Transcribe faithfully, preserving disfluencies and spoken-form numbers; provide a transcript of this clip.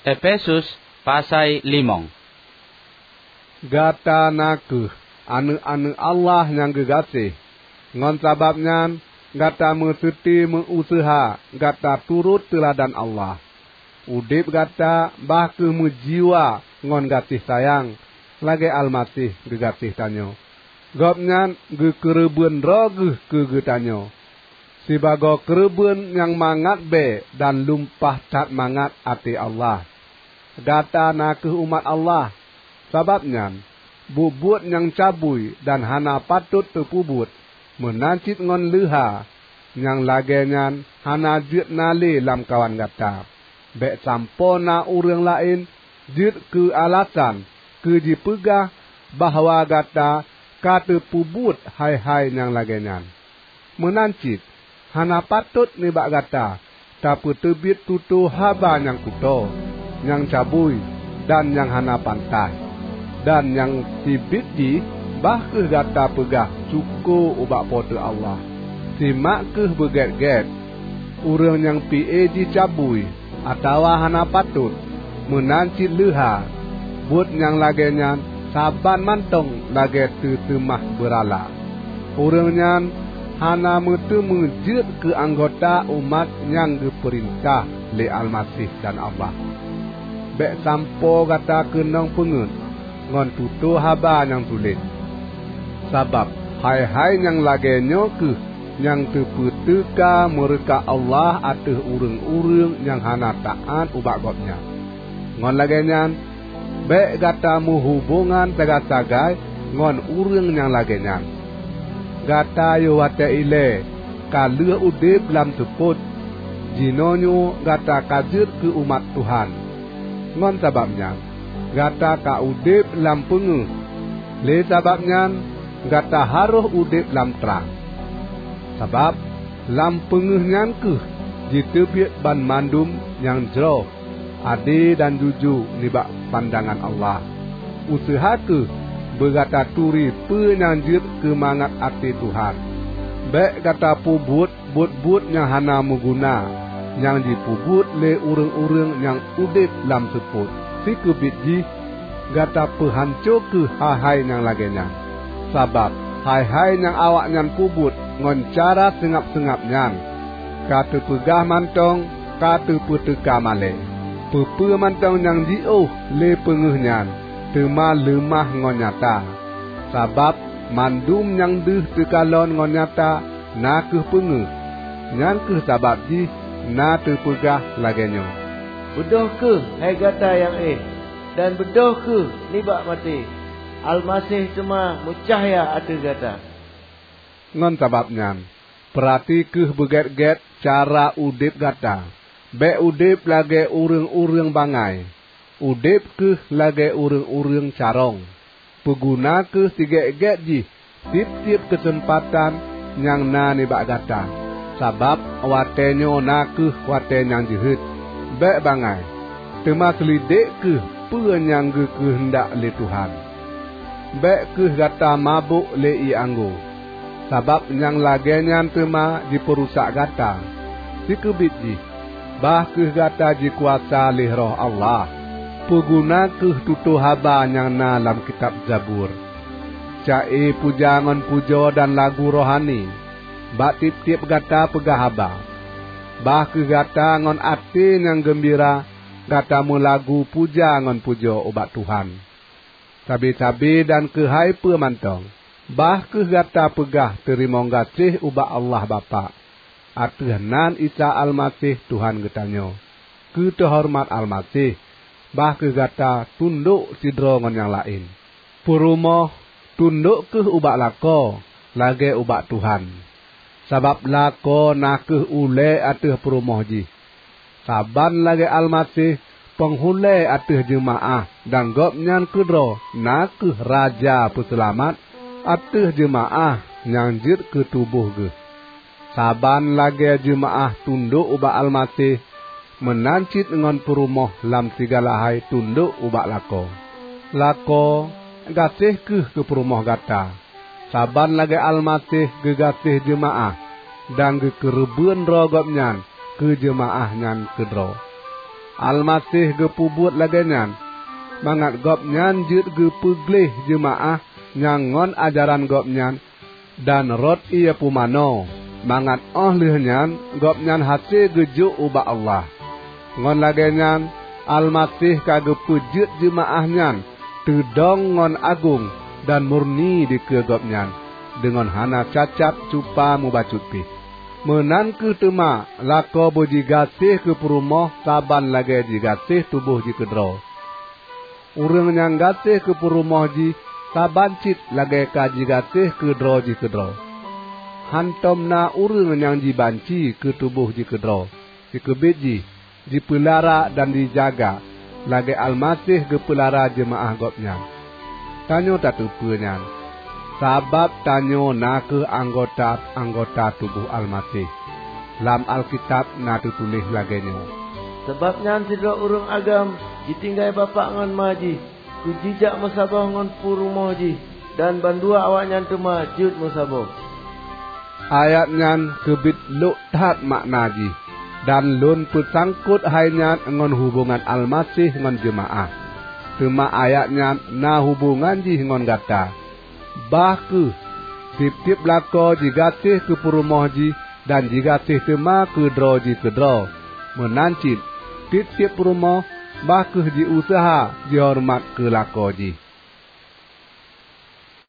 Efesus pasai limong. Gata na kheueh aneuëk-aneuëk Allah nyang geugaséh. Ngon sabab nyan, gata meuseuti meu-useuha gata turot teuladan Allah. Udeb gata bah kheueh meujiwa ngon gaséh sayang, lagée Almaseh geugaséh tanyoe. Gobnyan geukeureubeuen droe geuh keu geutanyoe, sibagoe keureubeuen nyang mangat bée dan lumpah that mangat até Allah. Gata na kheueh umat Allah, sabab nyan, buet-buet nyang cabui dan hana patot teupeubuet, meunan cit ngon leuha, nyang lagée nyan hana jeuet na lé lamkawan gata. Bék sampoe na ureuëng laén jeuet keu alasan keu jipeugah bahwa gata ka teupeubuet hai-hai nyang lagée nyan. Meunan cit, hana patot nibak gata tapeuteubiet tutoe haba nyang kutoe, nyang cabui, dan nyang hana pantas. Dan nyang syibiet jih, bah kheueh gata peugah syukoe ubak Po teu Allah. Simak kheueh beugét-gét, ureuëng nyang pi-e jih cabui atawa hana patot, meunan cit leuha, buet nyang lagée nyan saban mantong lagée teuseumah beurala. Ureuëng nyan hana meuteumé jeuet keu anggota umat nyang geupeurintah lé Almaseh dan Allah. Bék sampoe gata keunong peungeuet ngon tutoe haba nyang sulet. Sabab hai-hai nyang lagée nyoe kheueh nyang teupeuteuka meureuka Allah ateueh ureuëng-ureuëng nyang hana taát ubak Gobnyan. Ngon lagée nyan, bék gata meuhubongan sagai-sagai ngon ureuëng nyang lagée nyan. Gata yoh watée ilée ka lheueh udeb lam seupôt, jinoenyoe gata ka jeuet keu umat Tuhan. Ngon sabab nyan, gata ka udeb lam peungeuh. Lé sabab nyan, gata harôh udeb lam trang. Sabab lam peungeuh nyan kheueh jiteubiet banmandum nyang jroh, ade dan jujoe nibak pandangan Allah. Useuha kheueh beugata turi peue nyang jeuet keu mangat até Tuhan. Bék gata peubuet buet-buet nyang hana meuguna nyang jipeubuet lé ureuëng-ureuëng nyang udeb lam seupôt. Sikeubiet jih, gata peuhanco kheueh hai-hai nyang lagée nyan. Sabab hai-hai nyang awaknyan peubuet ngon cara seungab-seungab nyan, ka teupeugah mantong ka teupeuteuka malée. Peue-peue mantong nyang jiôh lé peungeuh nyan teuma leumah ngon nyata. Sabab mandum nyang deuh teukalon ngon nyata na kheueh peungeuh. Nyan kheueh sabab jih na teupeugah lagée nyoe, "Beudôh kheueh, hai gata nyang éh, dan beudôh kheueh nibak maté! Almaseh teuma meucahya ateueh gata." Ngon sabab nyan, peurati kheueh beugét-gét cara udeb gata. Bék udeb lagée ureuëng-ureuëng bangai. Udeb kheueh lagée ureuëng-ureuëng carông. Peuguna kheueh sigét-gét jih tieb-tieb keuseumpatan nyang na nibak gata, sabab watée nyoe na kheueh watée nyang jeuhet. Bék bangai, teuma seulidek kheueh peue nyang geukeuheundak lé Tuhan. Bék kheueh gata mabök lé ié anggô, sabab nyang lagée nyan teuma jipeurusak gata. Sikeubiet jih, bah kheueh gata jikuasa lé Roh Allah. Peuguna kheueh tutoe haba nyang na lam kitab Zabur, ca-e puja ngon pujoe dan lagu rohani. Bak tieb-tieb gata peugah haba. Bah kheueh gata ngon até nyang geumbira gata meulagu puja ngon pujoe ubak Tuhan. Sabe-sabe dan keuhai peue mantong, bah kheueh gata peugah teurimong gaséh ubak Allah Bapak. Ateueh nan Isa Almaseh Tuhan geutanyoe. Keu teuhoreumat Almaseh, bah kheueh gata tundok sidroe ngon nyang laén. Peurumoh, tundok kheueh ubak lakoe lagée ubak Tuhan, sabab lakoe na kheueh ulée ateueh peurumoh jih. Saban lagée Almaseh peunghulée ateueh jeumaáh dan Gobnyan keudroe na kheueh Raja Peuseulamat ateueh jeumaáh nyang jeuet keu tuboh geuh. Saban lagée jeumaáh tundok ubak Almaseh, meunan cit ngon peurumoh lam sigala hai tundok ubak lakoe. Lakoe, gaséh kheueh keu peurumoh gata, saban lagée Almaseh geugaséh jeumaáh dan geukeureubeuen droe Gobnyan keu jeumaáh nyan keudroe. Almaseh geupeubuet lagée nyan, mangat Gobnyan jeuet geupeugleh jeumaáh nyang ngon ajaran Gobnyan dan rot ié pumanö, mangat óh lheueh nyan Gobnyan hase geujok ubak Allah. Ngon lagée nyan Almaseh ka geupeujeuet jeumaáh nyan teudong ngon agong dan murni dikeue Gobnyan, deungon hana cacat cupa mubacut pih. Meunan kheueh teuma lakoe beujigaséh keu peurumoh saban lagée jigaséh tuboh jih keudroe. Ureuëng nyang gaséh keu peurumoh jih saban cit lagée ka jigaséh keu droe jih keudroe. Hántom na ureuëng nyang jibanci keu tuboh jih keudroe. Sikeubiet jih jipeulara dan jijaga, lagée Almaseh geupeulara jeumaáh Gobnyan. Tanyoe tateupeue nyan, sabab tanyoe na kheueh anggota-anggota tuboh Almaseh. Lam Alkitab na teutuléh lagée nyoe, "Sabab nyan sidroe ureuëng agam jitinggai bapak ngon ma jih, keu jijak meusaboh ngon peurumoh jih, dan bandua awaknyan teuma jeuet meusaboh." Ayat nyan keubiet lok that makna jih, dan lôn peusangkot hai nyan ngon hubongan Almaseh ngon jeumaáh. Teuma ayat nyan na hubongan jih ngon gata. Bah kheueh, tieb-tieb lakoe jigaséh keu peurumoh jih dan jigaséh teuma keu droe jih keudroe. Meunan cit, tieb-tieb peurumoh bah kheueh jiuseuha jihoreumat keu lakoe jih.